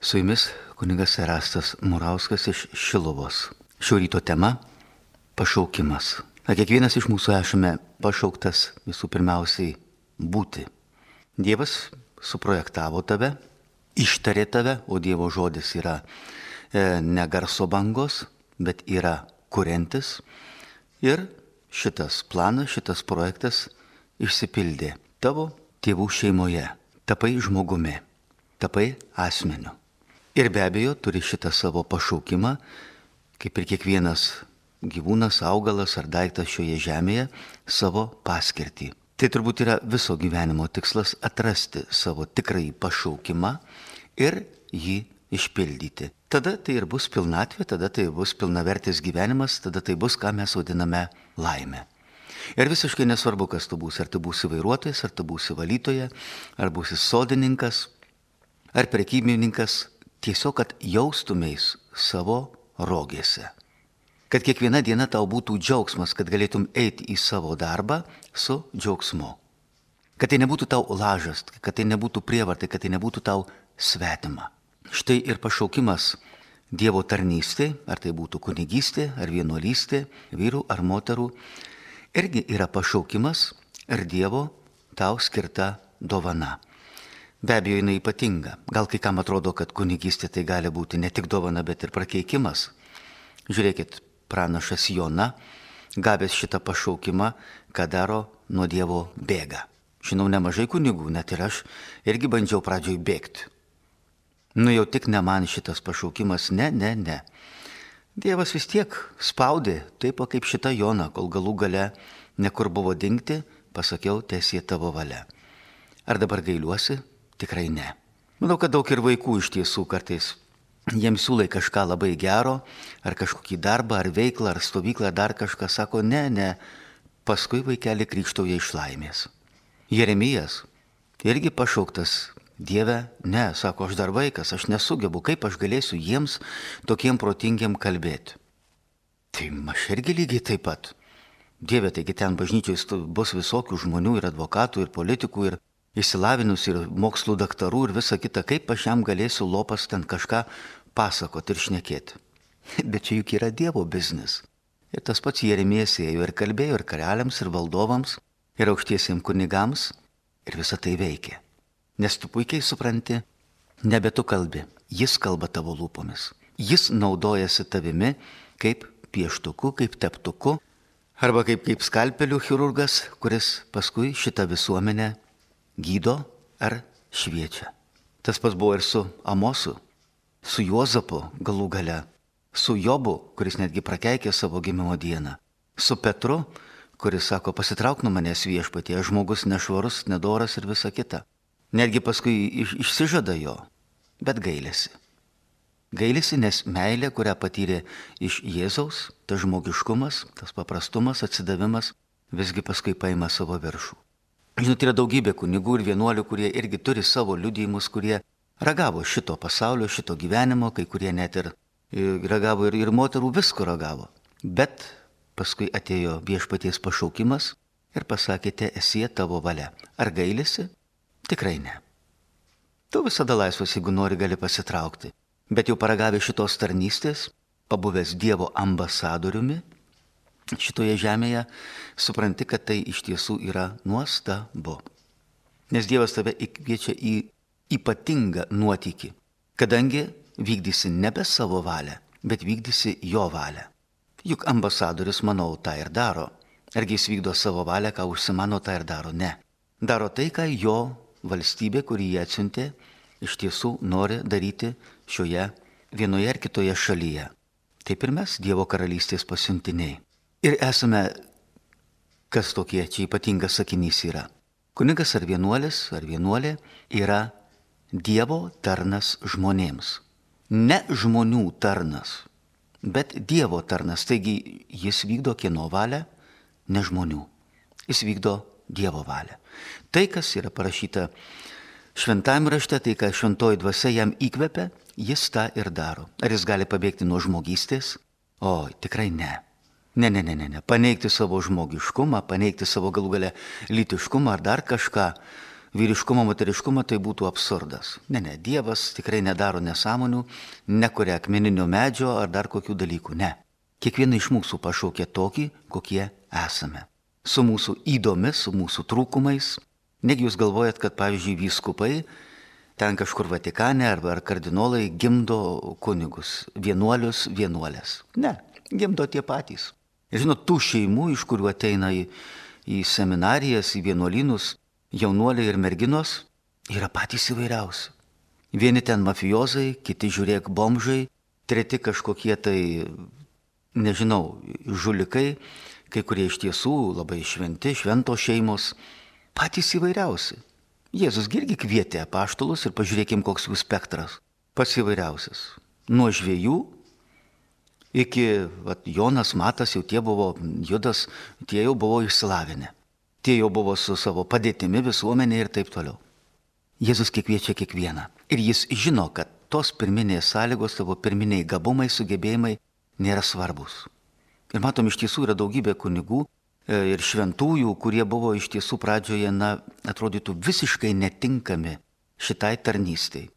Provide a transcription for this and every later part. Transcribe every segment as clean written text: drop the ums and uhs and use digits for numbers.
Su jumis kunigas Erastas Murauskas iš Šiluvos. Šio ryto tema - pašaukimas. Kiekvienas iš mūsų esame pašauktas visų pirmiausiai būti. Dievas suprojektavo tave, ištarė tave, o Dievo žodis yra ne garso bangos, bet yra kuriantis. Ir šitas planas, šitas projektas išsipildė tavo tėvų šeimoje. Tapai žmogumi, tapai asmeniu. Ir be abejo turi šitą savo pašaukimą, kaip ir kiekvienas gyvūnas, augalas ar daiktas šioje žemėje, savo paskirtį. Tai turbūt yra viso gyvenimo tikslas - atrasti savo tikrąjį pašaukimą ir jį išpildyti. Tada tai ir bus pilnatvė, tada tai bus pilnavertis gyvenimas, tada tai bus, ką mes vadiname laimė. Ir visiškai nesvarbu, kas tu būsi, ar tu būsi vairuotojas, ar tu būsi valytoja, ar būsi sodininkas, ar prekybininkas, tiesiog, kad jaustumės savo rogėse. Kad kiekviena diena tau būtų džiaugsmas, kad galėtum eiti į savo darbą su džiaugsmu. Kad tai nebūtų tau lažas, kad tai nebūtų prievartai, kad tai nebūtų tau svetima. Štai ir pašaukimas Dievo tarnystė, ar tai būtų kunigystė, ar vienuolystė, vyrų ar moterų, irgi yra pašaukimas ir Dievo tau skirta dovana. Be abejo, jinai ypatinga. Gal kai kam atrodo, kad kunigystė tai gali būti ne tik dovana, bet ir prakeikimas. Žiūrėkit, pranašas Jona, gavęs šitą pašaukimą, ką daro, nuo Dievo bėga. Žinau nemažai kunigų, net ir aš irgi bandžiau pradžioj bėgti. Nu jau tik ne man šitas pašaukimas, ne. Dievas vis tiek spaudė, taip kaip šitą Joną, kol galų gale nekur buvo dingti, pasakiau, tiesie tavo valia. Ar dabar gailiuosi? Tikrai ne. Manau, kad daug ir vaikų iš tiesų kartais jiems siūlai kažką labai gero, ar kažkokį darbą, ar veiklą, ar stovyklą, ar dar kažką, sako, ne, paskui vaikelį krikštauja iš laimės. Jeremijas irgi pašauktas, Dieve, ne, sako, aš dar vaikas, aš nesugebu, kaip aš galėsiu jiems tokiem protingiam kalbėti. Tai aš irgi lygiai taip pat. Dieve, taigi ten bažnyčioj bus visokių žmonių ir advokatų, ir politikų, ir išsilavinusių, ir mokslų daktarų, ir visa kita, kaip aš jam galėsiu lopas ten kažką pasakoti ir šnekėti. Bet čia juk yra Dievo biznis. Ir tas pats Jeremijas ėjo ir kalbėjo ir karaliams, ir valdovams, ir aukštiesiems kunigams, ir visa tai veikia. Nes tu puikiai supranti, nebe tu kalbi, jis kalba tavo lūpomis. Jis naudojasi tavimi kaip pieštuku, kaip teptuku, arba kaip skalpelių chirurgas, kuris paskui šitą visuomenę gydo ar šviečia. Tas pats buvo ir su Amosu, su Juozapu galų gale, su Jobu, kuris netgi prakeikė savo gimimo dieną, su Petru, kuris sako, pasitrauk nuo manęs viešpatie, žmogus nešvarus, nedoras ir visa kita. Netgi paskui išsižada jo, bet gailisi. Gailisi, nes meilė, kurią patyrė iš Jėzaus, tas žmogiškumas, tas paprastumas, atsidavimas, visgi paskui paima savo viršų. Žinot, yra daugybė kunigų ir vienuolių, kurie irgi turi savo liudijimus, kurie ragavo šito pasaulio, šito gyvenimo, kai kurie net ir ragavo ir moterų visko ragavo. Bet paskui atėjo viešpaties pašaukimas ir pasakėte, esie tavo valia. Ar gailisi? Tikrai ne. Tu visada laisvas, jeigu nori, gali pasitraukti. Bet jau paragavę šitos tarnystės, pabuvęs Dievo ambasadoriumi šitoje žemėje, supranti, kad tai iš tiesų yra nuostabu. Nes Dievas tave įkviečia į ypatingą nuotykį, kadangi vykdysi nebe savo valią, bet vykdysi jo valią. Juk ambasadorius, manau, tą ir daro. Argi jis vykdo savo valią, ką užsimano, tą ir daro? Ne. Daro tai, ką jo valstybė, kurį jie atsiuntė, iš tiesų nori daryti šioje vienoje ar kitoje šalyje. Taip ir mes, Dievo karalystės pasiuntiniai. Ir esame, kas tokie, čia ypatingas sakinys yra. Kunigas ar vienuolė yra Dievo tarnas žmonėms. Ne žmonių tarnas, bet Dievo tarnas. Taigi jis vykdo kieno valią, ne žmonių. Jis vykdo Dievo valią. Tai, kas yra parašyta šventajame rašte, tai, ką šventoji dvasia jam įkvepia, jis tą ir daro. Ar jis gali pabėgti nuo žmogystės? O, tikrai ne. Ne. Paneigti savo žmogiškumą, paneigti savo galų gale lytiškumą ar dar kažką. vyriškumą, moteriškumą, tai būtų absurdas. Ne, Dievas tikrai nedaro nesąmonių, nekuria akmeninio medžio ar dar kokių dalykų. Ne. Kiekvieną iš mūsų pašaukė tokį, kokie esame. Su mūsų įdomis, su mūsų trūkumais. Negi jūs galvojat, kad, pavyzdžiui, vyskupai ten kažkur Vatikane ar kardinolai gimdo kunigus, vienuolius, vienuolės. Ne, gimdo tie patys. Ir žinot, tų šeimų, iš kurių ateina į seminarijas, į vienuolynus, jaunuoliai ir merginos, yra patys įvairiausi. Vieni ten mafijozai, kiti žiūrėk bomžai, treti kažkokie tai, nežinau, žulikai, kai kurie iš tiesų labai šventi, šventos šeimos, patys įvairiausi. Jėzus irgi kvietė apaštalus ir pažiūrėkim, koks jų spektras. Pats įvairiausias. Nuo žvejų iki Jonas, Matas, jau tie buvo, Judas, tie jau buvo išsilavinę. Tie jau buvo su savo padėtimi visuomenė ir taip toliau. Jėzus kviečia kiekvieną. Ir jis žino, kad tos pirminės sąlygos, tavo pirminiai gabumai, sugebėjimai nėra svarbus. Ir matom, iš tiesų yra daugybė kunigų ir šventųjų, kurie buvo iš tiesų pradžioje, atrodytų visiškai netinkami šitai tarnystei.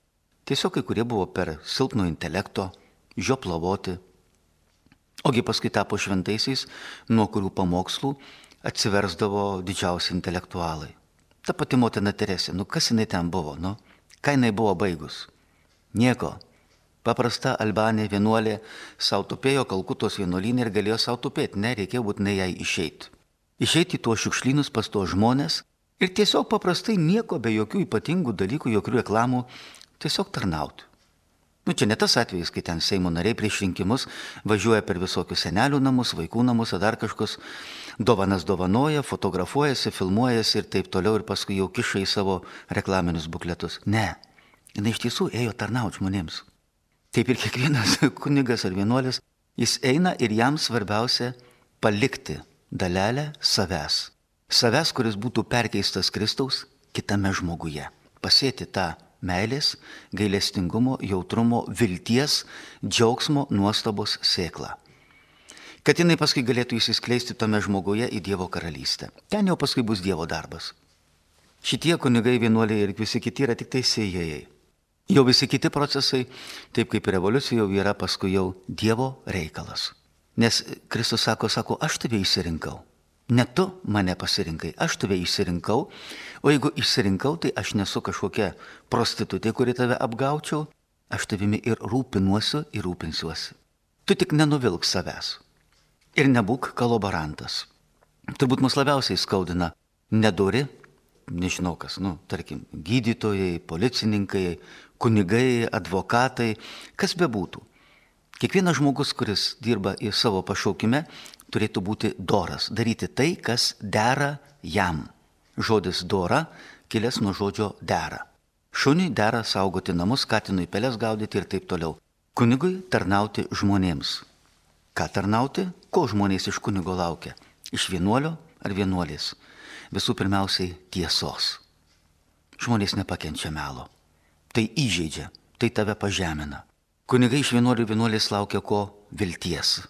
Tiesiog kai kurie buvo per silpno intelekto, žioplavoti, ogi paskui tapo šventaisiais, nuo kurių pamokslų atsiversdavo didžiausi intelektualai. Ta pati motina Teresė, kas jinai ten buvo, ką jinai buvo baigus? Nieko. Paprasta Albanė vienuolė sau tupėjo Kalkutos vienuolyne ir galėjo sau tupėti, reikėjo būtinai jai išeiti. Išeiti į tuos šiukšlynus pas tuos žmonės ir tiesiog paprastai nieko, be jokių ypatingų dalykų, jokių reklamų, tiesiog tarnauti. Čia ne tas atvejis, kai ten Seimo nariai prieš rinkimus važiuoja per visokius senelių namus, vaikų namus, ar dar kažkas dovanas dovanoja, fotografuojasi, filmuojasi ir taip toliau ir paskui jau kiša į savo reklaminius bukletus. Ne, jinai iš tiesų ėjo tarnauti žmonėms. Taip ir kiekvienas kunigas ar vienuolis, jis eina ir jam svarbiausia palikti dalelę savęs. Savęs, kuris būtų perkeistas Kristaus kitame žmoguje. Pasėti tą meilės, gailestingumo, jautrumo, vilties, džiaugsmo, nuostabos sėklą. Kad jinai paskui galėtų įsiskleisti tame žmoguje į Dievo karalystę. Ten jau paskui bus Dievo darbas. Šitie kunigai, vienuoliai ir visi kiti yra tik tai sėjėjai. Jau visi kiti procesai, taip kaip revoliucija, jau yra paskui jau Dievo reikalas. Nes Kristus sako, aš tave išsirinkau. Ne tu mane pasirinkai, aš tave išsirinkau, o jeigu išsirinkau, tai aš nesu kažkokia prostitutė, kuri tave apgaučiau, aš tavimi ir rūpinuosiu ir rūpinsiuosi. Tu tik nenuvilk savęs ir nebūk kolaborantas. Turbūt mus labiausiai skaudina nedori, nežinau kas, tarkim, gydytojai, policininkai, kunigai, advokatai, kas bebūtų. Kiekvienas žmogus, kuris dirba į savo pašaukime, turėtų būti doras, daryti tai, kas dera jam. Žodis dora kilęs nuo žodžio dera. Šuniui dera saugoti namus, katinui peles gaudyti ir taip toliau. Kunigui tarnauti žmonėms. Ką tarnauti? Ko žmonės iš kunigo laukia? Iš vienuolio ar vienuolės? Visų pirmiausiai tiesos. Žmonės nepakenčia melo. Tai įžeidžia, tai tave pažemina. Kunigai iš vienuolių vienuolės laukia ko? Vilties.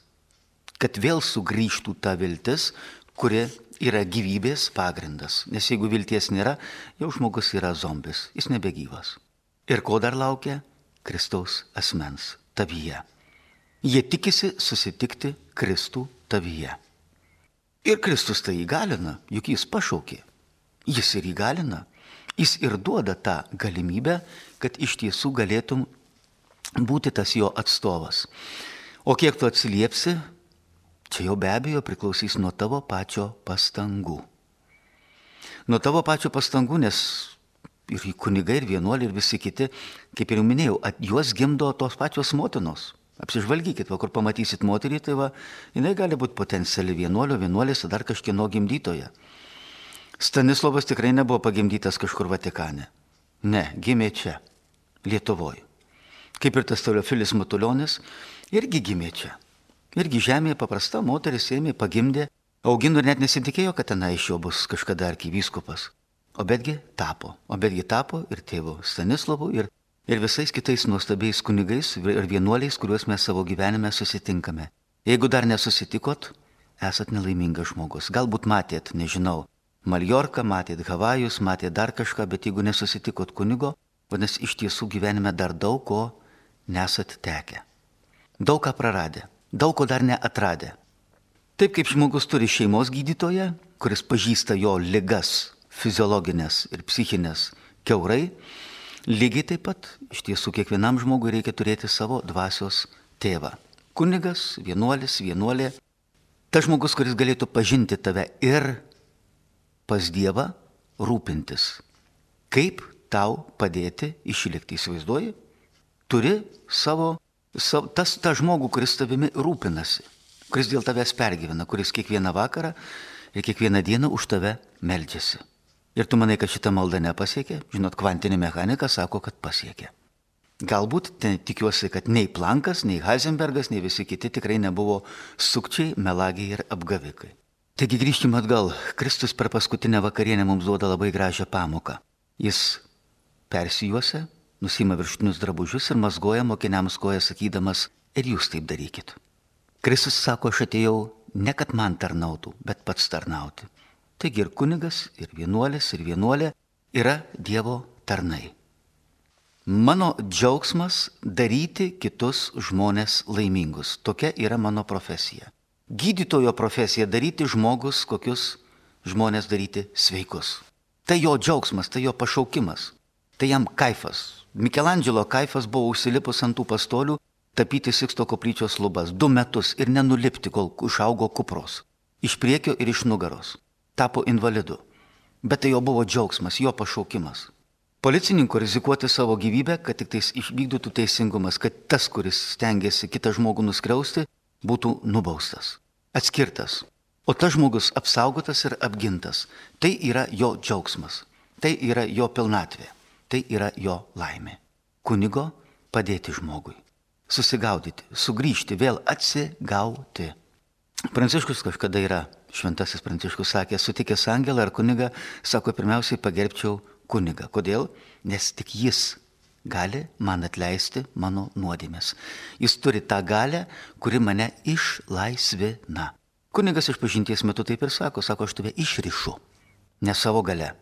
Kad vėl sugrįžtų ta viltis, kuri yra gyvybės pagrindas. Nes jeigu vilties nėra, jau žmogus yra zombis, jis nebegyvas. Ir ko dar laukia? Kristaus asmens tavyje. Jie tikisi susitikti Kristų tavyje. Ir Kristus tai įgalina, juk jis pašaukė. Jis ir įgalina. Jis ir duoda tą galimybę, kad iš tiesų galėtum būti tas jo atstovas. O kiek tu atsiliepsi, čia jau be abejo priklausys nuo tavo pačio pastangų. Nuo tavo pačio pastangų, nes ir kunigai, ir vienuoliai, ir visi kiti, kaip ir jau minėjau, juos gimdo tos pačios motinos. Apsižvalgykit, kur pamatysit moterį, tai jinai gali būti potenciali vienuolio, vienuolės, dar kažkieno gimdytoja. Stanislovas tikrai nebuvo pagimdytas kažkur Vatikane. Ne, gimė čia, Lietuvoje. Kaip ir tas Teofilis Matulionis, irgi gimė čia. Irgi žemėje paprasta moteris ėmė, pagimdė, augino ir net nesitikėjo, kad tenai iš jo bus kažkada arkivyskupas. O betgi tapo ir tėvu Stanislovu, ir visais kitais nuostabiais kunigais ir vienuoliais, kuriuos mes savo gyvenime susitinkame. Jeigu dar nesusitikot, esat nelaimingas žmogus. Galbūt matėt, nežinau, Maljorką, matėt Havajus, matėt dar kažką, bet jeigu nesusitikot kunigo, vadinasi, iš tiesų gyvenime dar daug ko nesat tekę. Daug ką praradę, daug ko dar neatradę. Taip kaip žmogus turi šeimos gydytoją, kuris pažįsta jo ligas fiziologinės ir psichinės kiaurai, lygiai taip pat iš tiesų kiekvienam žmogui reikia turėti savo dvasios tėvą. Kunigas, vienuolis, vienuolė, tas žmogus, kuris galėtų pažinti tave ir pas Dievą rūpintis. Kaip tau padėti išlikti, įsivaizduoji? Turi tas žmogų, kuris tavimi rūpinasi, kuris dėl tavęs pergyvena, kuris kiekvieną vakarą ir kiekvieną dieną už tave meldžiasi. Ir tu manai, kad šita malda nepasiekė? Žinot, kvantinė mechanika sako, kad pasiekė. Galbūt tikiuosi, kad nei Plankas, nei Heisenbergas, nei visi kiti tikrai nebuvo sukčiai, melagiai ir apgavikai. Taigi grįžkime atgal. Kristus per paskutinę vakarienę mums duoda labai gražią pamoką. Jis persijuosia, nusima viršutinius drabužius ir mazgoja mokiniams koją sakydamas, ir jūs taip darykit. Kristus sako, aš atėjau ne kad man tarnautų, bet pats tarnauti. Taigi ir kunigas, ir vienuolis, ir vienuolė yra Dievo tarnai. Mano džiaugsmas daryti kitus žmonės laimingus. Tokia yra mano profesija. Gydytojo profesija daryti žmogus, kokius žmonės daryti sveikus. Tai jo džiaugsmas, tai jo pašaukimas, tai jam kaifas. Mikelandželo kaifas buvo užsilipus ant tų pastolių, tapyti Siksto koplyčios lubas 2 metus ir nenulipti, kol išaugo kupros. Iš priekio ir iš nugaros. Tapo invalidu. Bet tai jo buvo džiaugsmas, jo pašaukimas. Policininko rizikuoti savo gyvybę, kad tik tais išvykdytų teisingumas, kad tas, kuris stengiasi kitą žmogų nuskriausti, būtų nubaustas, atskirtas. O tas žmogus apsaugotas ir apgintas. Tai yra jo džiaugsmas, tai yra jo pilnatvė, tai yra jo laimė. Kunigo padėti žmogui, susigaudyti, sugrįžti, vėl atsigauti. Pranciškus kažkada yra, šventasis Pranciškus sakė, sutikęs angelą ar kunigą, sako, pirmiausiai pagerbčiau kunigą. Kodėl? Nes tik jis gali man atleisti mano nuodėmes. Jis turi tą galę, kuri mane išlaisvina. Kunigas išpažinties metu taip ir sako, aš tave išrišu, ne savo gale,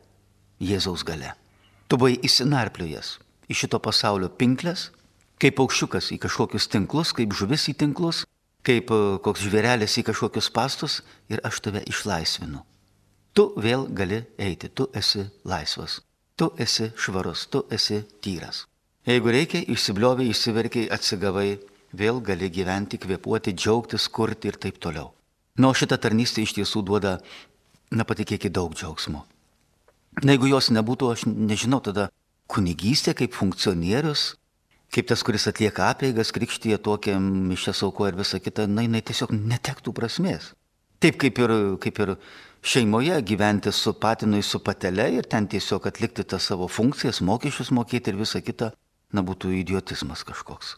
Jėzaus gale. Tu buvai įsinarpliojęs iš šito pasaulio pinklės, kaip paukščiukas į kažkokius tinklus, kaip žuvis į tinklus, kaip koks žvėrelis į kažkokius pastus ir aš tave išlaisvinu. Tu vėl gali eiti, tu esi laisvas, tu esi švarus, tu esi tyras. Jeigu reikia, išsibliovai, išsiverkiai, atsigavai, vėl gali gyventi, kvėpuoti, džiaugtis, kurti ir taip toliau. Na, o šitą tarnystę iš tiesų duoda, patikėkit, daug džiaugsmo. Na, jeigu jos nebūtų, aš nežinau, tada kunigystė kaip funkcionierius, kaip tas, kuris atlieka apeigas, krikštyje tokią mišias aukoja ir visa kita, jinai tiesiog netektų prasmės. Taip kaip ir šeimoje gyventi su patinui, su patele ir ten tiesiog atlikti tas savo funkcijas, mokesčius mokėti ir visa kita, būtų idiotizmas kažkoks.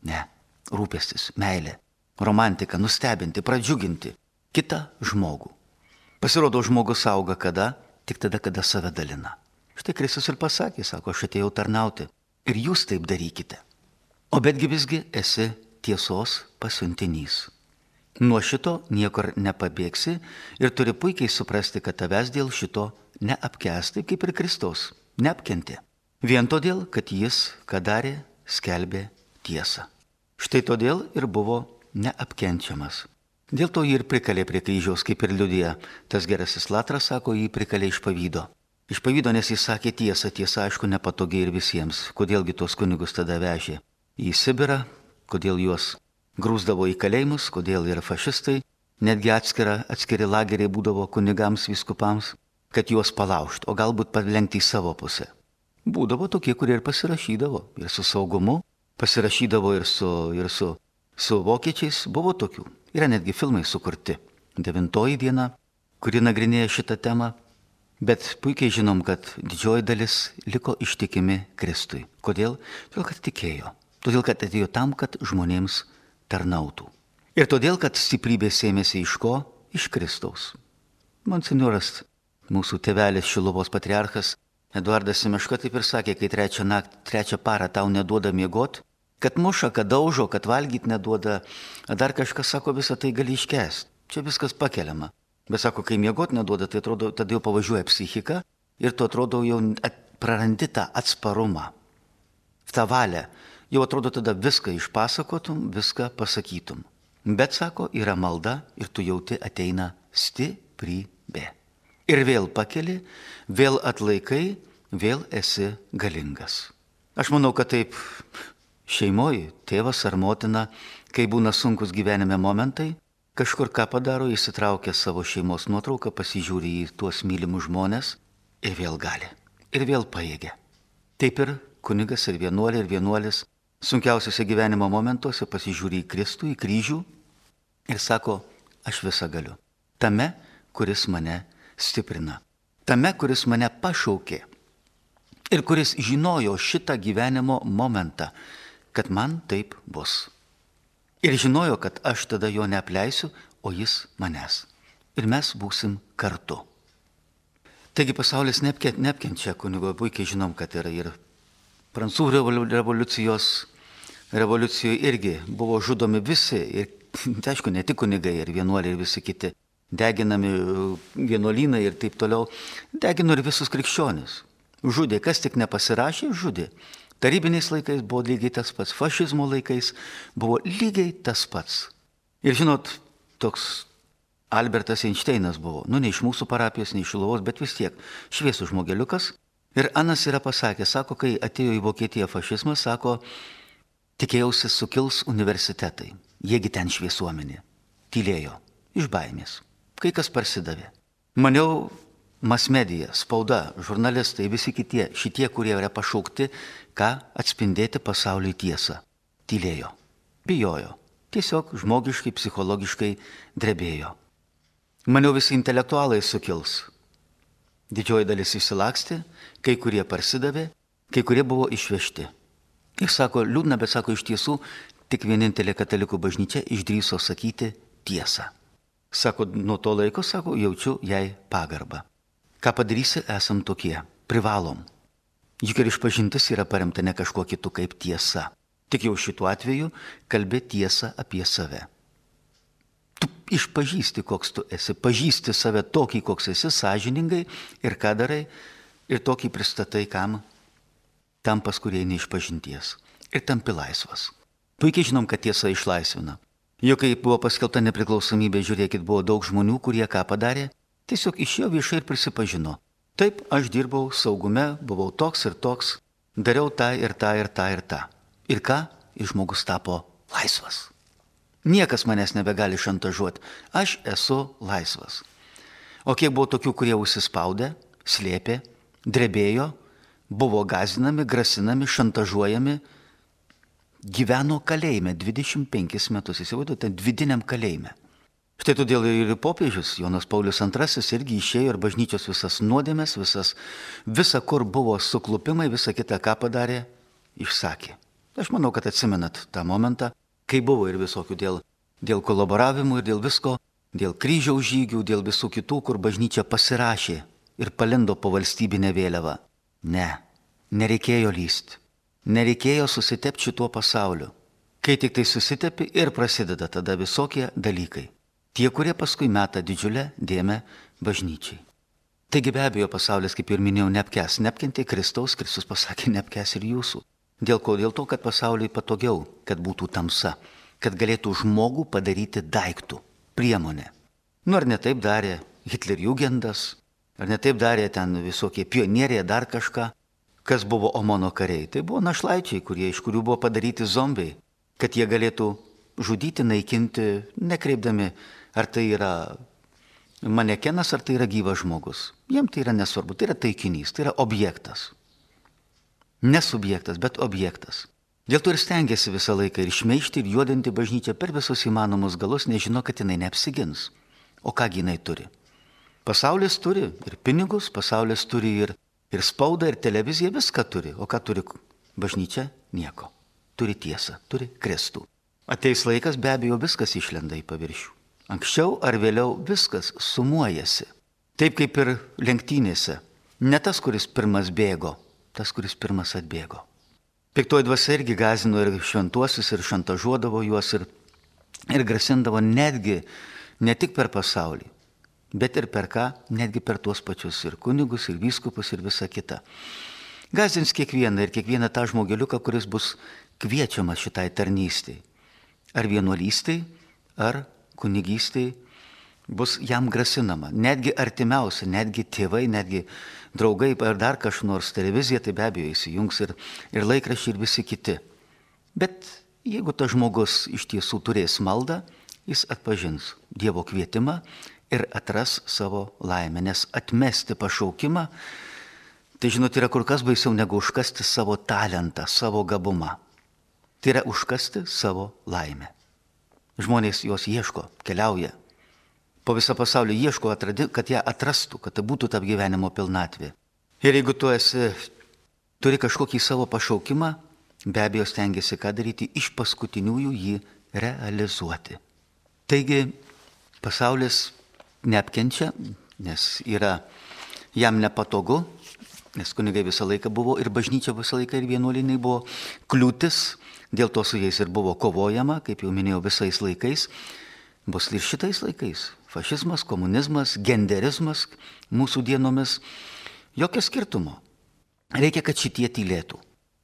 Ne, rūpestis, meilė, romantika, nustebinti, pradžiuginti kitą žmogų. Pasirodo, žmogus auga kada? Tik tada, kada save dalina. Štai Kristus ir pasakė, sako, aš atėjau tarnauti. Ir jūs taip darykite. O betgi visgi esi tiesos pasiuntinys. Nuo šito niekur nepabėgsi ir turi puikiai suprasti, kad tavęs dėl šito neapkęsti, kaip ir Kristaus, neapkentė. Vien todėl, kad jis, ką darė, skelbė tiesą. Štai todėl ir buvo neapkenčiamas. Dėl to jį ir prikalė prie kryžiaus, kaip ir liudija. Tas gerasis Latras, sako, jį prikalė iš pavydo. Iš pavydo, nes jis sakė tiesą, tiesa aišku nepatogiai ir visiems. Kodėlgi tuos kunigus tada vežė į Sibirą, kodėl juos grūsdavo į kalėjimus, kodėl ir fašistai, netgi atskiri lageriai būdavo kunigams, vyskupams, kad juos palaužt, o galbūt palenkti į savo pusę. Būdavo tokie, kurie ir pasirašydavo, ir su saugumu, pasirašydavo ir su vokiečiais, buvo tokių. Yra netgi filmai sukurti. 9 diena, kuri nagrinėja šitą temą. Bet puikiai žinom, kad didžioji dalis liko ištikimi Kristui. Kodėl? Todėl, kad tikėjo. Todėl, kad atėjo tam, kad žmonėms tarnautų. Ir todėl, kad stiprybė sėmėsi iš ko? Iš Kristaus. Monsinjoras, mūsų tėvelis Šiluvos patriarchas, Eduardas Simeška taip ir sakė, kai trečią parą tau neduoda miegot, kad muša, kad daužo, kad valgyt neduoda, dar kažkas sako, visą tai gali iškęsti. Čia viskas pakeliama. Bet sako, kai miegot neduoda, tai atrodo, tada jau pavažiuoja psichika ir tu atrodo jau prarandi tą atsparumą, tą valią. Jau atrodo tada viską išpasakotum, viską pasakytum. Bet sako, yra malda ir tu jauti ateina stiprybė. Ir vėl pakeli, vėl atlaikai, vėl esi galingas. Aš manau, kad taip šeimoje, tėvas ar motina, kai būna sunkus gyvenime momentai, kažkur ką padaro, įsitraukia savo šeimos nuotrauką, pasižiūri į tuos mylimus žmonės ir vėl gali. Ir vėl pajėgia. Taip ir kunigas ir vienuolis sunkiausiuose gyvenimo momentuose pasižiūri į Kristų, į kryžių ir sako, aš visą galiu. Tame, kuris mane stiprina. Tame, kuris mane pašaukė. Ir kuris žinojo šitą gyvenimo momentą, kad man taip bus. Ir žinojo, kad aš tada jo neapleisiu, o jis manęs. Ir mes būsim kartu. Taigi pasaulis neapkenčia kunigo, puikiai žinom, kad yra ir prancūzų revoliucijoje irgi buvo žudomi visi, ir tai aišku, ne tik kunigai, ir vienuoliai, ir visi kiti, deginami vienuolynai ir taip toliau, degino ir visus krikščionis. Žudė, kas tik nepasirašė, žudė. Tarybiniais laikais buvo lygiai tas pats, fašizmo laikais buvo lygiai tas pats. Ir žinot, toks Albertas Einšteinas buvo, ne iš mūsų parapijos, ne iš Šiluvos, bet vis tiek šviesų žmogeliukas. Ir Anas yra pasakęs, sako, kai atėjo į Vokietiją fašizmas, sako, tikėjausi sukils universitetai, jiegi ten šviesuomenė. Tylėjo, iš baimės. Kai kas parsidavė. Maniau, masmedija, spauda, žurnalistai, visi šitie, kurie yra pašaukti, ką atspindėti pasauliui tiesą. Tylėjo, bijojo, tiesiog žmogiškai, psichologiškai drebėjo. Maniau, visi intelektualai sukils. Didžioji dalis išsilakstė, kai kurie parsidavė, kai kurie buvo išvežti. Ir sako, liūdna, bet sako, iš tiesų, tik vienintelė katalikų bažnyčia išdrįso sakyti tiesą. Sako, nuo to laiko, sako, jaučiu jai pagarbą. Ką padarysi, esam tokie, privalom. Juk ir išpažintis yra paremta ne kažkuo kitu kaip tiesa. Tik jau šituo atveju kalbė tiesą apie save. Tu išpažįsti, koks tu esi, pažįsti save tokį, koks esi, sąžiningai ir ką darai, ir tokį pristatai kam? Tam pas kurie neišpažinties. Ir tampi laisvas. Puikiai žinom, kad tiesa išlaisvina. Juk kai buvo paskelbta nepriklausomybė, žiūrėkit, buvo daug žmonių, kurie ką padarė, tiesiog išėjo viešai ir prisipažino. Taip, aš dirbau saugume, buvau toks ir toks, dariau tą ir tą ir tą ir tą. Ir ką? Ir žmogus tapo laisvas. Niekas manęs nebegali šantažuoti. Aš esu laisvas. O kiek buvo tokių, kurie užsispaudę, slėpė, drebėjo, buvo gąsdinami, grasinami, šantažuojami, gyveno kalėjime 25 metus, įsivaizduojate, vidiniam kalėjime. Štai todėl ir popiežius Jonas Paulius II irgi išėjo ir bažnyčios visas nuodėmės, visa kur buvo suklupimai, visa kita, ką padarė, išsakė. Aš manau, kad atsimenat tą momentą, kai buvo ir visokių dėl kolaboravimų ir dėl visko, dėl kryžiaus žygių, dėl visų kitų, kur bažnyčia pasirašė ir palindo po valstybinę vėliavą. Ne, nereikėjo lysti, nereikėjo susitepti šituo pasauliu. Kai tik tai susitepi ir prasideda tada visokie dalykai. Tie, kurie paskui meta didžiulę dėmę bažnyčiai. Taigi be abejo pasaulis, kaip ir minėjau, neapkentė Kristaus, Kristus pasakė, neapkes ir jūsų. Dėl ko? Dėl to, kad pasauliui patogiau, kad būtų tamsa, kad galėtų žmogų padaryti daiktų, priemonę. Ar ne taip darė Hitlerjugendas, ar ne taip darė ten visokie pionieriai, dar kažką, kas buvo Omono kariai. Tai buvo našlaičiai, iš kurių buvo padaryti zombiai, kad jie galėtų žudyti, naikinti, nekreipdami, ar tai yra manekenas, ar tai yra gyvas žmogus. Jiem tai yra nesvarbu, tai yra taikinys, tai yra objektas. Ne subjektas, bet objektas. Dėl to ir stengiasi visą laiką ir šmeižti, ir juodinti bažnyčią per visus įmanomus galus, nežino, kad jinai neapsigins. O kągi jinai turi? Pasaulis turi ir pinigus, pasaulis turi ir spaudą, ir televiziją, viską turi. O ką turi bažnyčia? Nieko. Turi tiesą, turi Kristų. Ateis laikas, be abejo, viskas išlenda į paviršių. Anksčiau ar vėliau viskas sumuojasi. Taip kaip ir lenktynėse. Ne tas, kuris pirmas bėgo, tas, kuris pirmas atbėgo. Piktoji dvasia irgi gąsdino ir šventuosius, ir šantažuodavo juos, ir grasindavo netgi ne tik per pasaulį, bet ir per ką, netgi per tuos pačius ir kunigus, ir vyskupus, ir visą kitą. Gąsdins kiekvieną ir kiekvieną tą žmogeliuką, kuris bus kviečiamas šitai tarnystei. Ar vienuolystei, ar kunigystei bus jam grasinama. Netgi artimiausi, netgi tėvai, netgi draugai ar dar kažkas nors, televizija, tai be abejo įsijungs ir laikraščiai ir visi kiti. Bet jeigu tas žmogus iš tiesų turės maldą, jis atpažins Dievo kvietimą ir atras savo laimę. Nes atmesti pašaukimą, tai žinot, yra kur kas baisiau negu užkasti savo talentą, savo gabumą. Tai yra užkasti savo laimę. Žmonės jos ieško, keliauja. Po visą pasaulį ieško, kad ją atrastų, kad tai būtų ta gyvenimo pilnatvė. Ir jeigu tu turi kažkokį savo pašaukimą, be abejo stengiasi ką daryti, iš paskutiniųjų jį realizuoti. Taigi pasaulis neapkenčia, nes yra jam nepatogu, nes kunigai visą laiką buvo ir bažnyčia visą laiką ir vienuolynai buvo kliūtis, dėl to su jais ir buvo kovojama, kaip jau minėjau, visais laikais, bus ir šitais laikais. Fašizmas, komunizmas, genderizmas mūsų dienomis, jokio skirtumo. Reikia, kad šitie tylėtų.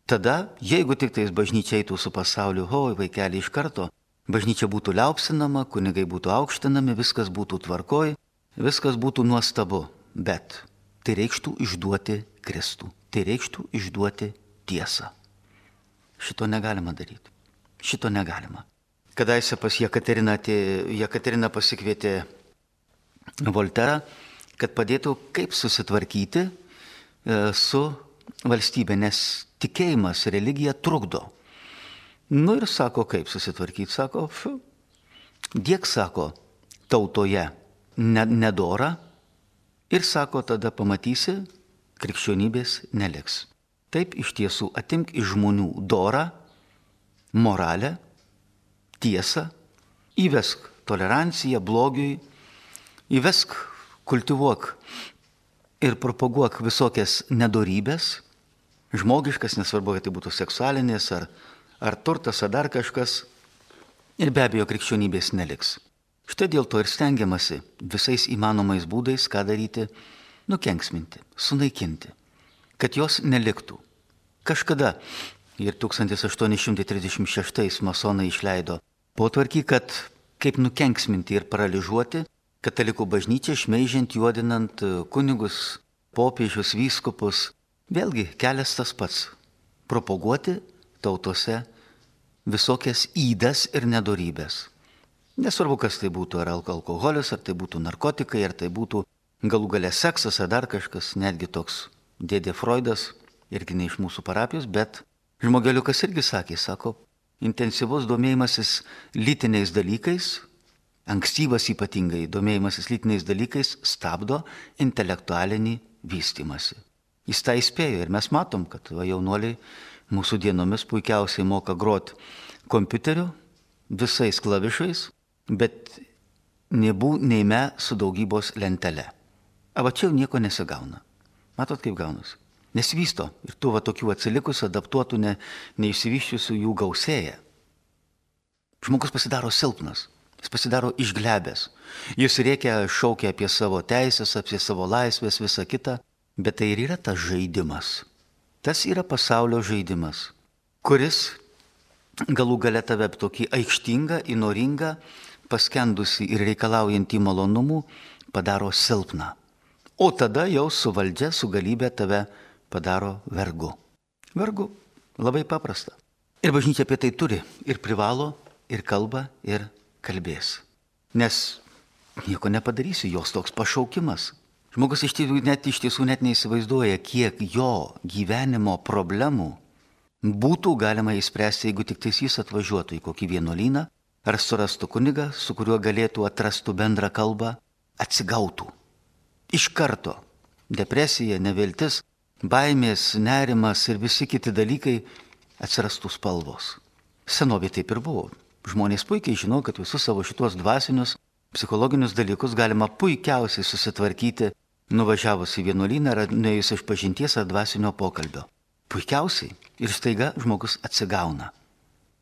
Tada, jeigu tik tais bažnyčia eitų su pasauliu, vaikeliai iš karto, bažnyčia būtų liaupsinama, kunigai būtų aukštinami, viskas būtų tvarkoj, viskas būtų nuostabu, bet tai reikštų išduoti Kristų, tai reikštų išduoti tiesą. Šito negalima daryti, šito negalima. Kadaise pas Jekaterina pasikvietė Volterą, kad padėtų kaip susitvarkyti su valstybė, nes tikėjimas, religija trukdo. Ir sako, kaip susitvarkyti, sako, diek, sako, tautoje nedora ir sako, tada pamatysi, krikščionybės neliks. Taip iš tiesų atimk iš žmonių dorą, moralę, tiesą, įvesk toleranciją blogiui, įvesk, kultivuok ir propaguok visokias nedorybės, žmogiškas, nesvarbu, kad tai būtų seksualinės ar turtas, ar dar kažkas, ir be abejo krikščionybės neliks. Štai dėl to ir stengiamasi visais įmanomais būdais, ką daryti, nukenksminti, sunaikinti, kad jos neliktų. Kažkada ir 1836 masonai išleido potvarkį, kad kaip nukenksminti ir paralyžiuoti katalikų bažnyčią, šmeižiant, juodinant kunigus, popiežius, vyskupus. Vėlgi kelias tas pats - propaguoti tautose visokias ydas ir nedorybės. Nesvarbu, kas tai būtų, ar alkoholis, ar tai būtų narkotikai, ar tai būtų galų gale seksas, ar dar kažkas, netgi toks dėdė Freudas, irgi ne iš mūsų parapijos, bet žmogeliukas irgi sako, intensyvus domėjimasis lytiniais dalykais, ankstyvas ypatingai domėjimasis lytiniais dalykais stabdo intelektualinį vystymąsi. Jis tą įspėjo ir mes matom, kad jaunuoliai mūsų dienomis puikiausiai moka groti kompiuteriu visais klavišais, bet neime su daugybos lentele. Va čia jau nieko nesigauna. Matot, kaip gaunasi? Nesivysto ir tų tokių atsilikusių, adaptuotų, neišsivyščiusių jų gausėja. Žmogus pasidaro silpnas, jis pasidaro išglebęs. Jis rėkia, šaukia apie savo teisės, apie savo laisvės, visą kitą, bet tai ir yra tas žaidimas. Tas yra pasaulio žaidimas, kuris galų gale tave tokį aikštingą, įnoringą, paskendusi ir reikalaujantį malonumų padaro silpną. O tada jau su valdžia, su galybė tave padaro vergu. Vergu. Labai paprasta. Ir bažnyčia apie tai turi. Ir privalo, ir kalba, ir kalbės. Nes nieko nepadarysi, jos toks pašaukimas. Žmogus iš tiesų net neįsivaizduoja, kiek jo gyvenimo problemų būtų galima įspręsti, jeigu tik jis atvažiuotų į kokį vienuolyną, ar surastų kunigą, su kuriuo galėtų atrastų bendrą kalbą, atsigautų. Iš karto depresija, neviltis, baimės, nerimas ir visi kiti dalykai atsirastų spalvos. Senovė taip ir buvo. Žmonės puikiai žino, kad visus savo šitos dvasinius, psichologinius dalykus galima puikiausiai susitvarkyti, nuvažiavus į vienuolyną ar nuėjus iš pažinties ar dvasinio pokalbio. Puikiausiai. Ir staiga žmogus atsigauna.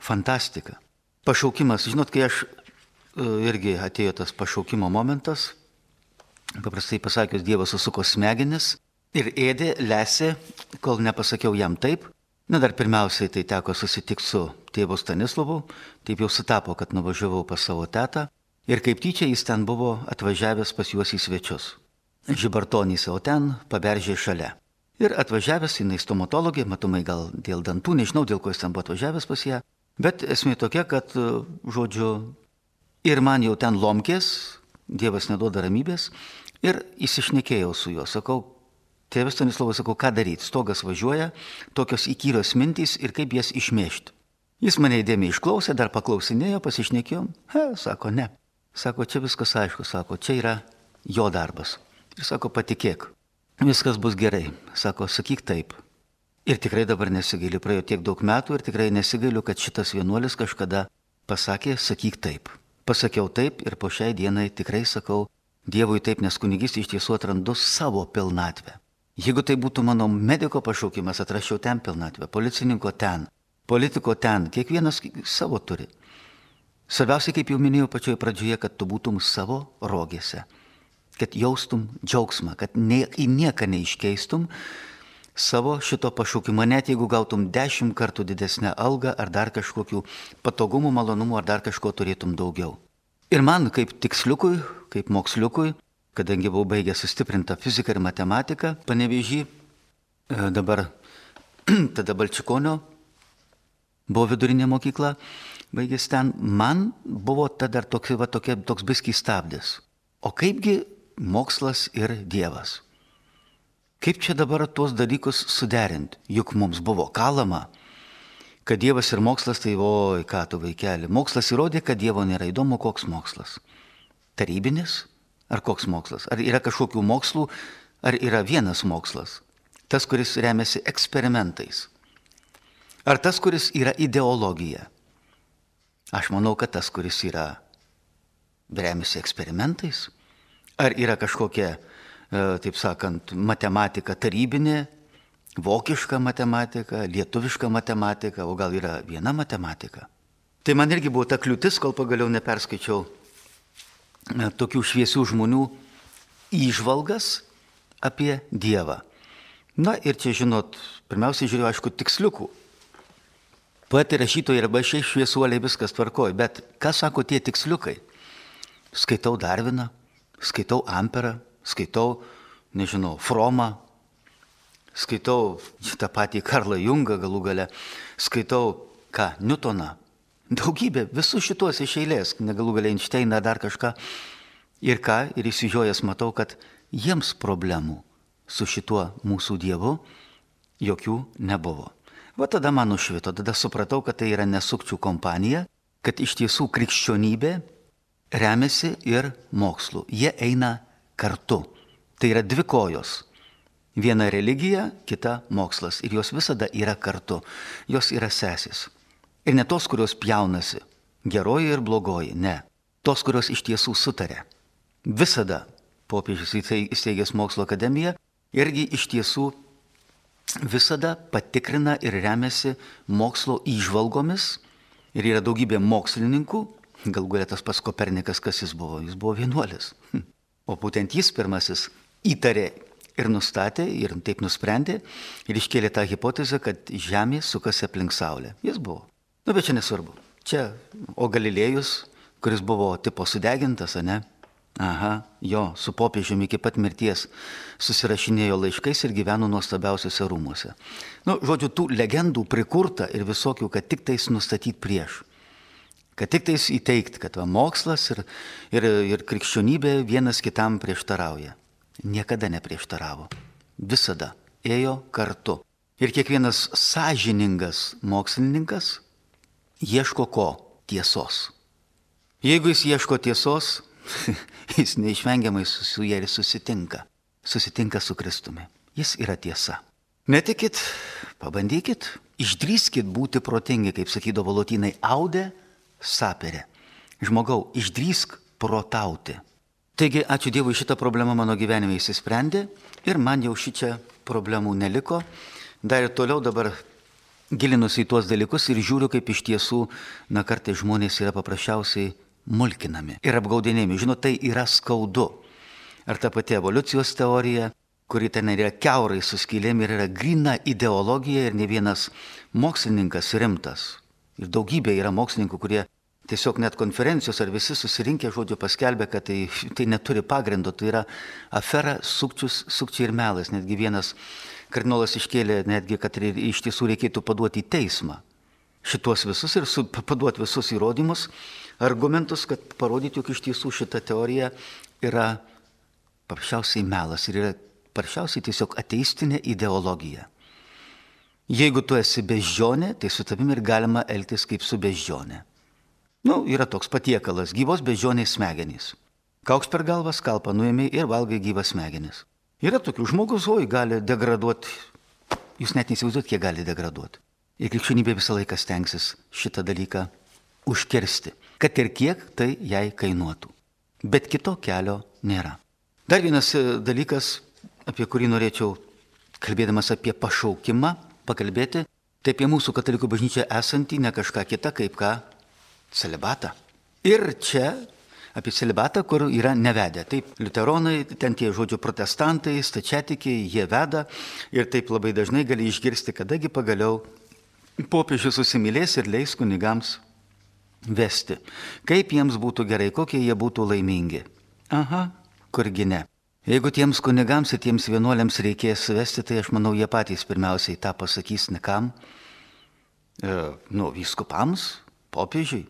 Fantastika. Pašaukimas. Žinot, kai irgi atėjo tas pašaukimo momentas, Paprastai pasakius, Dievas susuko smegenis ir ėdė, lesė, kol nepasakiau jam taip. Na, dar pirmiausiai tai teko susitikti su tėvu Stanislovu, taip jau sutapo, kad nuvažiavau pas savo tetą ir kaip tyčia jis ten buvo atvažiavęs pas juos į svečius. Žibartonys, o ten Paberžė šalia. Ir atvažiavęs, jinai stomatologė, matomai gal dėl dantų, nežinau dėl ko jis ten buvo atvažiavęs pas ją, bet esmė tokia, kad, žodžiu, ir man jau ten lomkės, Dievas neduoda ramybės, ir įsišnekėjau su juo, sakau, tėvas Stanislovas, sakau, ką daryti, stogas važiuoja, tokios įkyrios mintys ir kaip jas išmėžti. Jis mane įdėmiai išklausė, dar paklausinėjo, pasišnekėjom, sako, ne. Sako, čia viskas aišku, sako, čia yra jo darbas. Ir sako, patikėk, viskas bus gerai. Sako, sakyk taip. Ir tikrai dabar nesigailiu, praėjo tiek daug metų ir tikrai nesigailiu, kad šitas vienuolis kažkada pasakė, sakyk taip. Pasakiau taip ir po šiai dienai tikrai sakau Dievui taip, nes kunigystė iš tiesų atrandu savo pilnatvę. Jeigu tai būtų mano mediko pašaukimas, atraščiau ten pilnatvę, policininko ten, politiko ten, kiekvienas savo turi. Svarbiausia, kaip jau minėjau pačioje pradžioje, kad tu būtum savo rogėse, kad jaustum džiaugsmą, kad į nieką neiškeistum savo šito pašaukimo, net jeigu gautum 10 kartų didesnę algą ar dar kažkokių patogumų, malonumų ar dar kažko turėtum daugiau. Ir man kaip tiksliukui, kaip moksliukui, kadangi buvau baigęs sustiprintą fiziką ir matematiką, Panevėžy, dabar tada Balčikonio buvo vidurinė mokykla, baigęs ten, man buvo tada toks biskį stabdis. O kaipgi mokslas ir Dievas? Kaip čia dabar tuos dalykus suderinti? Juk mums buvo kalama, kad Dievas ir mokslas, tai oi, ką tu vaikeli. Mokslas įrodė, kad Dievo nėra. Įdomu, koks mokslas. Tarybinis? Ar koks mokslas? Ar yra kažkokių mokslų, ar yra vienas mokslas? Tas, kuris remiasi eksperimentais. Ar tas, kuris yra ideologija? Aš manau, kad tas, kuris yra remiasi eksperimentais. Ar yra kažkokia, taip sakant, matematika tarybinė, vokiška matematika, lietuviška matematika, o gal yra viena matematika. Tai man irgi buvo ta kliūtis, kol pagaliau neperskaičiau tokių šviesių žmonių įžvalgas apie Dievą. Na ir čia, žinot, pirmiausiai žiūrėjau, aišku, tiksliukų. Poetai, rašytojai arba šiai šviesuoliai viskas tvarkoja, bet ką sako tie tiksliukai? Skaitau Darviną, skaitau Amperą, skaitau, nežinau, Fromą, skaitau šitą patį Karlą Jungą galų gale, skaitau Newtoną. Daugybė, visus šitos iš eilės, negalų galia Einšteiną, dar kažką. Ir ir įsižiojęs matau, kad jiems problemų su šituo mūsų Dievu jokių nebuvo. Va tada man nušvito, tada supratau, kad tai yra nesukčių kompanija, kad iš tiesų krikščionybė remiasi ir mokslu. Jie eina kartu. Tai yra dvi kojos. Viena religija, kita mokslas. Ir jos visada yra kartu. Jos yra sesės. Ir ne tos, kurios pjaunasi, geroji ir blogoji, ne. Tos, kurios iš tiesų sutarė. Visada popiežius įsteigęs mokslo akademiją irgi iš tiesų visada patikrina ir remiasi mokslo įžvalgomis. Ir yra daugybė mokslininkų, galų galia tas pats Kopernikas, kas jis buvo vienuolis. O būtent jis pirmasis įtarė ir nustatė, ir taip nusprendė, ir iškėlė tą hipotezę, kad Žemė sukasi aplink Saulę. Jis buvo. Nu, bet čia nesvarbu. Čia, o Galilėjus, kuris buvo tipo sudegintas, ne? Aha, jo, su popiežiumi iki pat mirties susirašinėjo laiškais ir gyveno nuostabiausiuose rūmuose. Nu, žodžiu, tų legendų prikurta ir visokių, kad tik tais nustatyti prieš. Kad tik tais įteikti, kad mokslas ir krikščionybė vienas kitam prieštarauja. Niekada neprieštaravo. Visada ėjo kartu. Ir kiekvienas sąžiningas mokslininkas ieško ko? Tiesos. Jeigu jis ieško tiesos, jis neišvengiamai su ja ir susitinka. Susitinka su Kristumi. Jis yra tiesa. Netikit, pabandykit, išdrįskit būti protingi, kaip sakydavo lotynai, aude sapere. Žmogau, išdrįsk protauti. Taigi, ačiū Dievui, šitą problemą mano gyvenime įsisprendė ir man jau šičia problemų neliko. Dar ir toliau dabar gilinusi į tuos dalykus ir žiūriu, kaip iš tiesų, kartais žmonės yra paprasčiausiai mulkinami ir apgaudinėjami. Žinot, tai yra skaudu. ar ta pati evoliucijos teorija, kuri ten yra kiaurai su skylėm ir yra grina ideologija ir ne vienas mokslininkas rimtas. Ir daugybė yra mokslininkų, kurie tiesiog net konferencijos ar visi susirinkę žodžiu paskelbė, kad tai neturi pagrindo, tai yra afera, sukčiai ir melas. Netgi vienas kardinolas iškėlė netgi, kad iš tiesų reikėtų paduoti į teismą šitos visus ir paduoti visus įrodymus, argumentus, kad parodyti, jog iš tiesų šita teorija yra paprasčiausiai melas ir yra paprasčiausiai tiesiog ateistinė ideologija. Jeigu tu esi beždžionė, tai su tavimi ir galima elgtis kaip su beždžionė. Yra toks patiekalas, gyvos beždžionės smegenys. Kauks per galvą, skalpą nuėmė ir valgai gyvas smegenis. Yra tokių žmogus, gali degraduoti, jūs net neįsivaizduot, kiek gali degraduoti. Ir krikščionybė visą laiką stengsis šitą dalyką užkirsti, kad ir kiek tai jai kainuotų. Bet kito kelio nėra. Dar vienas dalykas, apie kurį norėčiau, kalbėdamas apie pašaukimą, pakalbėti, tai apie mūsų katalikų bažnyčią esantį ne kažką kitą, kaip ką celibatą. Ir čia apie celibatą, kur yra nevedę. Taip, liuteronai, ten tie žodžiu protestantai, stačiatikiai, jie veda ir taip labai dažnai gali išgirsti, kadagi pagaliau popiežius susimylės ir leis kunigams vesti. Kaip jiems būtų gerai, kokie jie būtų laimingi. Aha, kurgi ne. Jeigu tiems kunigams ir tiems vienuoliams reikės vesti, tai aš manau, jie patys pirmiausiai tą pasakys ne kam, vyskupams, popiežiui.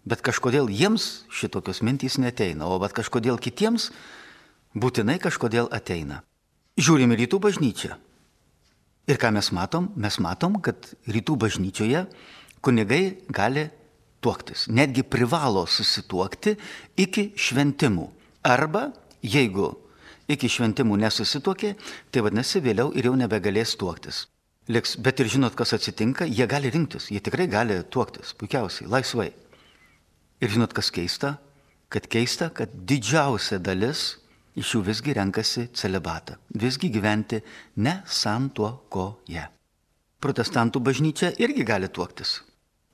Bet kažkodėl jiems šitokios mintys neteina, o bet kažkodėl kitiems būtinai kažkodėl ateina. Žiūrime rytų bažnyčią. Ir ką mes matom? Mes matom, kad rytų bažnyčioje kunigai gali tuoktis. Netgi privalo susituokti iki šventimų. Arba, jeigu iki šventimų nesusituokė, tai vadinasi vėliau ir jau nebegalės tuoktis. Liks, bet ir žinot, kas atsitinka, jie gali rinktis, jie tikrai gali tuoktis, puikiausiai, laisvai. Ir žinot, kas keista, kad didžiausia dalis iš jų visgi renkasi celibatą, visgi gyventi ne santuokoje. Protestantų bažnyčia irgi gali tuoktis.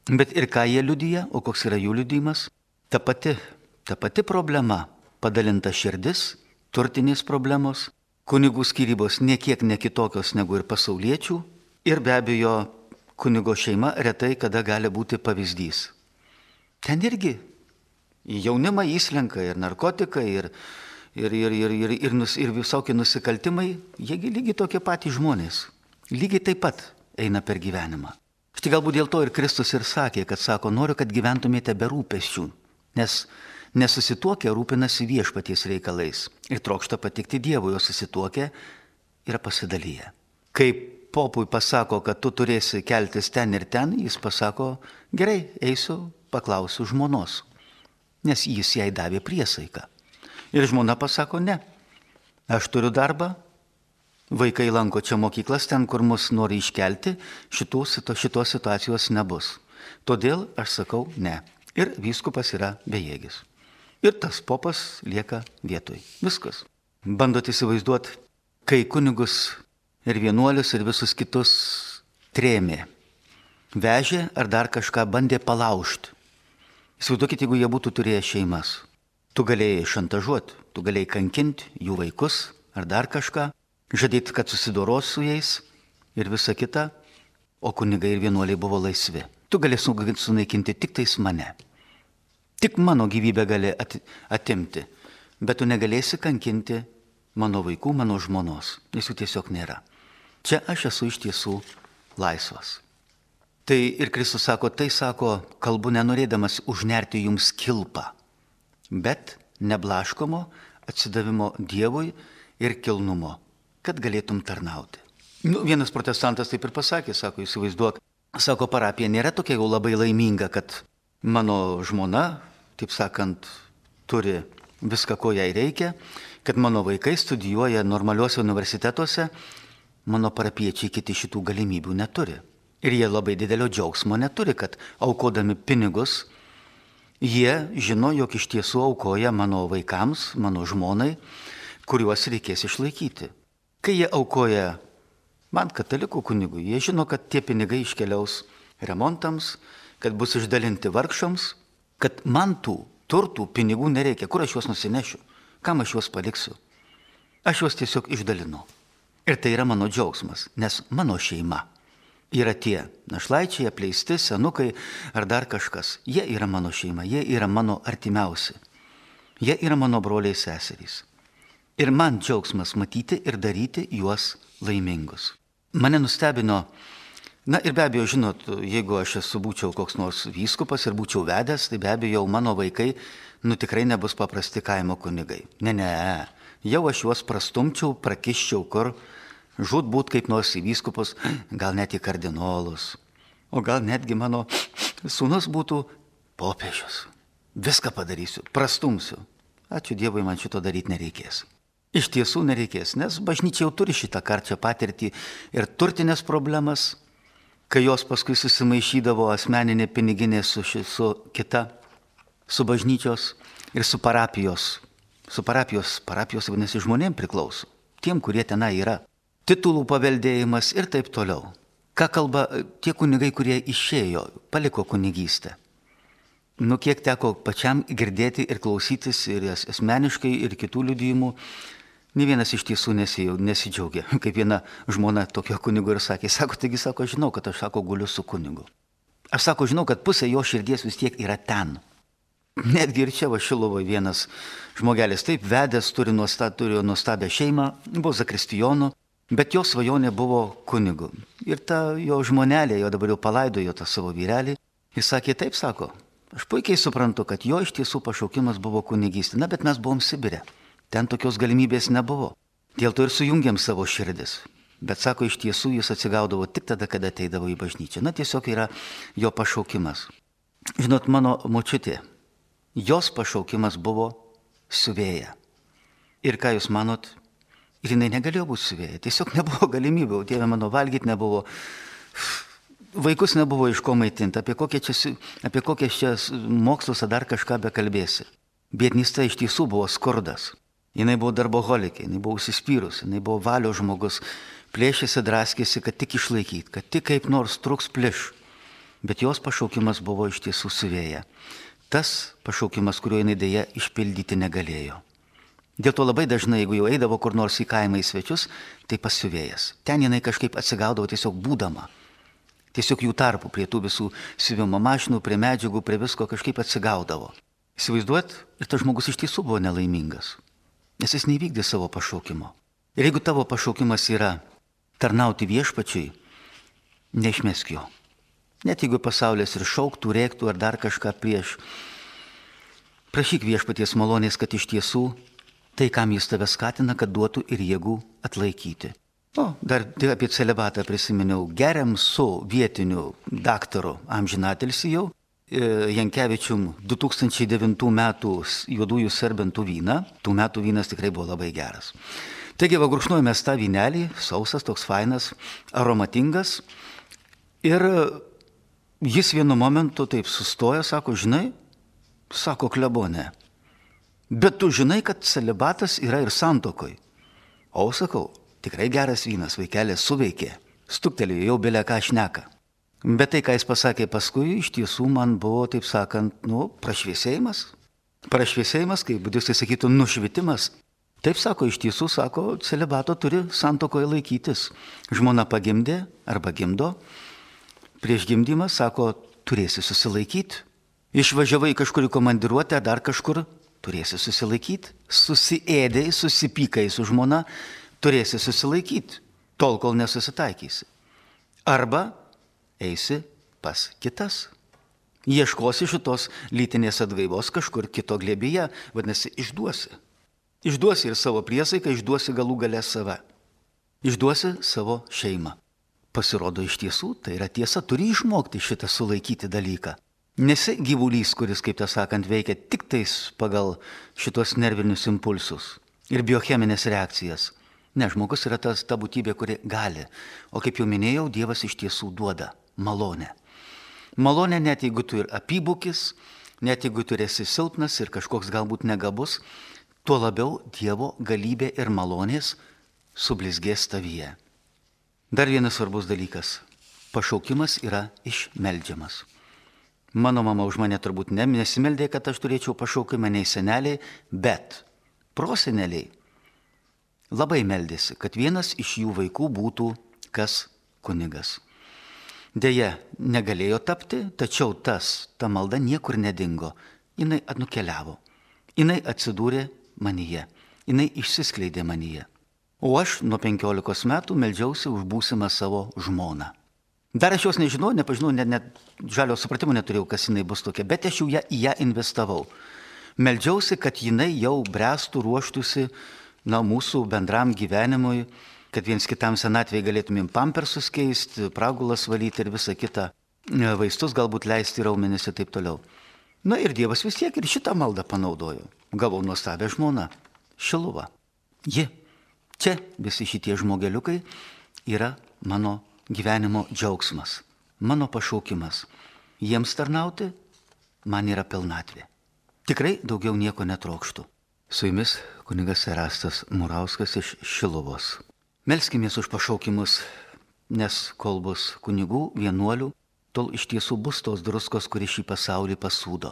Bet ir ką jie liudija, o koks yra jų liudijimas? Ta pati problema, padalinta širdis, turtinės problemos, kunigų skyrybos niekiek ne kitokios negu ir pasauliečių ir be abejo kunigo šeima retai kada gali būti pavyzdys. Ten irgi į jaunimą įslenka ir narkotikai, ir visokie nusikaltimai, jiegi lygiai tokie patys žmonės, lygiai taip pat eina per gyvenimą. Štai galbūt dėl to ir Kristus ir sakė, kad sako, noriu, kad gyventumėte be rūpesčių, nes nesusituokę rūpinasi viešpaties reikalais ir trokšta patikti Dievui, o susituokę yra pasidalyję. Kai popui pasako, kad tu turėsi keltis ten ir ten, jis pasako, gerai, eisiu, paklausiu žmonos, nes jis jai davė priesaiką. Ir žmona pasako, ne, aš turiu darbą, vaikai lanko čia mokyklas, ten, kur mus nori iškelti, šitos situacijos nebus. Todėl aš sakau, ne. Ir vyskupas yra bejėgis. Ir tas popas lieka vietoj. Viskas. Bandot įsivaizduoti, kai kunigus ir vienuolius ir visus kitus trėmė, vežė ar dar kažką bandė palaužti. Įsivaizduokit, jeigu jie būtų turėję šeimas. Tu galėjai šantažuoti, tu galėjai kankinti jų vaikus ar dar kažką, žadėti, kad susidoros su jais ir visa kita, o kunigai ir vienuoliai buvo laisvi. Tu galėjai sunaikinti tik tais mane. Tik mano gyvybę gali atimti, bet tu negalėsi kankinti mano vaikų, mano žmonos, nes jų tiesiog nėra. Čia aš esu iš tiesų laisvas. Tai ir Kristus sako, kalbu nenorėdamas užnerti jums kilpą, bet neblaškomo atsidavimo Dievui ir kilnumo, kad galėtum tarnauti. Vienas protestantas taip ir pasakė, sako, įsivaizduok, sako, parapija nėra tokia jau labai laiminga, kad mano žmona, taip sakant, turi viską, ko jai reikia, kad mano vaikai studijuoja normaliuose universitetuose, mano parapiečiai kiti šitų galimybių neturi. Ir jie labai didelio džiaugsmo neturi, kad aukodami pinigus, jie žino, jog iš tiesų aukoja mano vaikams, mano žmonai, kuriuos reikės išlaikyti. Kai jie aukoja man, katalikų kunigui, jie žino, kad tie pinigai iškeliaus remontams, kad bus išdalinti vargšams, kad man tų turtų, pinigų nereikia. Kur aš juos nusinešiu? Kam aš juos paliksiu? Aš juos tiesiog išdalinu. Ir tai yra mano džiaugsmas, nes mano šeima yra tie našlaičiai, apleisti, senukai ar dar kažkas. Jie yra mano šeima, jie yra mano artimiausi. Jie yra mano broliai seserys. Ir man džiaugsmas matyti ir daryti juos laimingus. Mane nustebino, na ir be abejo, žinot, jeigu aš būčiau koks nors vyskupas ir būčiau vedęs, tai be abejo jau mano vaikai, tikrai nebus paprasti kaimo kunigai. Ne, jau aš juos prastumčiau, prakiščiau kur, žūtbūt kaip nors į vyskupus, gal net į kardinolus. O gal netgi mano sūnus būtų popiežius. Viską padarysiu, prastumsiu. Ačiū Dievui, man šito daryti nereikės. Iš tiesų nereikės, nes bažnyčia jau turi šitą karčią patirtį ir turtinės problemas, kai jos paskui susimaišydavo asmeninė piniginė su kita, su bažnyčios ir su parapijos. Parapijos vadinasi žmonėm priklauso, tiem, kurie tenai yra. Titulų paveldėjimas ir taip toliau. Ką kalba tie kunigai, kurie išėjo, paliko kunigystę? Kiek teko pačiam girdėti ir klausytis ir asmeniškai ir kitų liudijimų, nė vienas iš tiesų nesidžiaugia. Kaip viena žmona tokio kunigo ir sakė, taigi, žinau, kad aš, guliu su kunigu. Aš, žinau, kad pusė jo širdies vis tiek yra ten. Netgi ir čia Šiluvoje vienas žmogelis taip vedęs, turėjo nuostabią šeimą, buvo zakristijonu, bet jo svajonė buvo kunigu. Ir ta jo žmonelė, jo dabar jau palaidojo tą savo vyrelį, jis sakė, taip, aš puikiai suprantu, kad jo iš tiesų pašaukimas buvo kunigystė, bet mes buvom Sibire. Ten tokios galimybės nebuvo. Dėl to ir sujungiam savo širdis. Bet iš tiesų jis atsigaudavo tik tada, kada ateidavo į bažnyčią. Tiesiog yra jo pašaukimas. Žinot, mano močiutė, jos pašaukimas buvo siuvėja. Ir ką jūs manot? Ir jinai negalėjo būti siuvėja. Tiesiog nebuvo galimybių. Dieve mano, valgyti nebuvo. Vaikus nebuvo iš ko maitinti. Apie kokias čia mokslus ar dar kažką bekalbėsi. Biednystė iš tiesų buvo skurdas. Jinai buvo darboholikė, jinai buvo užsispyrus, jinai buvo valios žmogus, plėšėsi, draskėsi, kad tik išlaikyti, kad tik kaip nors truks pliš. Bet jos pašaukimas buvo iš tiesų siuvėja. Tas pašaukimas, kurio jinai dėja išpildyti negalėjo. Dėl to labai dažnai, jeigu jau eidavo kur nors į kaimą į svečius, tai pas siuvėjas. Ten jinai kažkaip atsigaudavo tiesiog būdama. Tiesiog jų tarpų prie tų visų siuvimo mašinų, prie medžiagų, prie visko kažkaip atsigaudavo. Įsivaizduot, ir tas žmogus iš tiesų buvo nelaimingas. Nes jis neįvykdė savo pašaukimo. Ir jeigu tavo pašaukimas yra tarnauti viešpačiui, neišmesk jo. Net jeigu pasaulis ir šauktų, rėktų ar dar kažką prieš, prašyk viešpaties malonės, kad iš tiesų tai, kam jis tave skatina, kad duotų ir jėgų atlaikyti. Dar apie celibatą prisiminiau. Geriam su vietiniu daktaru amžinatilsį jau, Jankevičium 2009 metų juodųjų serbentų vyną. Tų metų vynas tikrai buvo labai geras. Taigi, gurkšnojame tą vynelį, sausas, toks fainas, aromatingas. Ir jis vienu momentu taip sustoja, žinai, klebonė. Bet tu žinai, kad celibatas yra ir santokoj. O, tikrai geras vynas, vaikelė suveikė. Stuktelėjo, jau belė ką šneka. Bet tai, ką jis pasakė paskui, iš tiesų man buvo, taip sakant, prašviesėjimas. Prašviesėjimas, kaip budistai sakytų, nušvitimas. Taip iš tiesų, celibato turi santuokoje laikytis. Žmona pagimdė arba gimdo. Prieš gimdymą, turėsi susilaikyti. Išvažiavai kažkur į komandiruotę, dar kažkur, turėsi susilaikyti. Susiėdai, susipykai su žmona, turėsi susilaikyti, tol kol nesusitaikysi. Arba eisi pas kitas. Ieškosi šitos lytinės atgaivos kažkur kito glėbyje, vadinasi, išduosi. Išduosi ir savo priesaiką, išduosi galų gale save. Išduosi savo šeimą. Pasirodo iš tiesų, tai yra tiesa, turi išmokti šitą sulaikyti dalyką. Nesi gyvulys, kuris, kaip veikia tik tais pagal šitos nervinius impulsus ir biocheminės reakcijas. Ne, žmogus yra ta būtybė, kuri gali. O kaip jau minėjau, Dievas iš tiesų duoda malonę. Malonę net jeigu tu ir apybūkis, net jeigu tu esi silpnas ir kažkoks galbūt negabus, tuo labiau Dievo galybė ir malonės sublizgės tavyje. Dar vienas svarbus dalykas. Pašaukimas yra išmeldžiamas. Mano mama už mane turbūt nesimeldė, kad aš turėčiau pašaukimą, nei seneliai, bet proseneliai labai meldėsi, kad vienas iš jų vaikų būtų kas kunigas. Deja, negalėjo tapti, tačiau ta malda niekur nedingo. Jinai nukeliavo. Jinai atsidūrė manyje. Jinai išsiskleidė manyje. O aš nuo 15 metų meldžiausi už būsimą savo žmoną. Dar aš jos nežinau, nepažinau, net žalio supratimo neturėjau, kas jinai bus tokia, bet aš jau į ją investavau. Meldžiausi, kad jinai jau bręstų, ruoštųsi mūsų bendram gyvenimui, kad viens kitam senatvėje galėtumėm pampersus keisti, pragulas valyti ir visą kitą, vaistus galbūt leisti raumenis ir taip toliau. Na ir Dievas vis tiek ir šitą maldą panaudojo. Gavau nuostabią žmoną, Šiluvą. Ji, čia visi šitie žmogeliukai yra mano gyvenimo džiaugsmas, mano pašaukimas. Jiems tarnauti man yra pilnatvė. Tikrai daugiau nieko netrokštų. Su jumis kunigas Erastas Murauskas iš Šiluvos. Melskimės už pašaukimus, nes kol bus kunigų, vienuolių, tol iš tiesų bus tos druskos, kuri šį pasaulį pasūdo.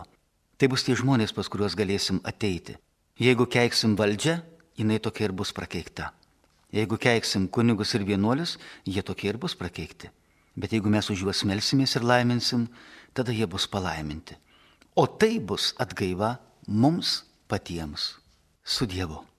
Tai bus tie žmonės, pas kuriuos galėsim ateiti. Jeigu keiksim valdžią, jinai tokia ir bus prakeikta. Jeigu keiksim kunigus ir vienuolius, jie tokie ir bus prakeikti. Bet jeigu mes už juos melsimės ir laiminsim, tada jie bus palaiminti. O tai bus atgaiva mums patiems. Su Dievu.